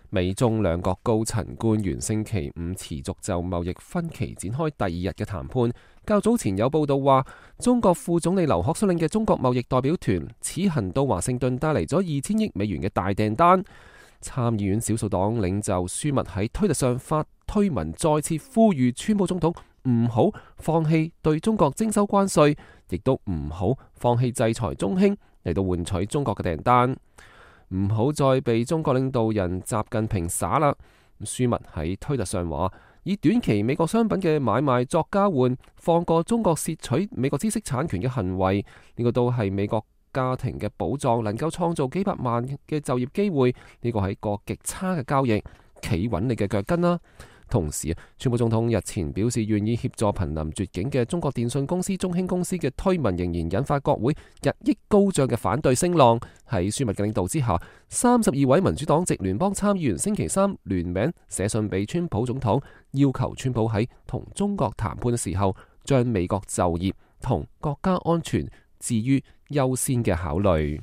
美中兩國高層官員星期五持續就貿易分歧展開第二日嘅談判。較早前有報道話，中國副總理劉鶴率領嘅中國貿易代表團此行到華盛頓帶嚟咗2000億美元嘅大訂單。參議院少數黨領袖舒密喺推特上發推文，再次呼籲川普總統唔好放棄對中國徵收關稅，亦都唔好放棄制裁中興嚟到換取中國嘅訂單，唔好再被中國領導人習近平耍啦。舒密喺推特上話，以短期美國商品嘅買賣作交換，放過中國竊取美國知識產權嘅行為，呢個都係美國家庭嘅寶藏，能夠創造幾百萬嘅就業機會，呢個係個極差嘅交易，企穩你嘅腳跟啦。同時，川普總統日前表示願意協助瀕臨絕境嘅中國電信公司中興公司嘅推文，仍然引發國會日益高漲嘅反對聲浪。喺舒密嘅領導之下，32位民主黨籍聯邦參議員星期三聯名寫信俾川普總統，要求川普喺同中國談判嘅時候，將美國就業同國家安全置於優先嘅考慮。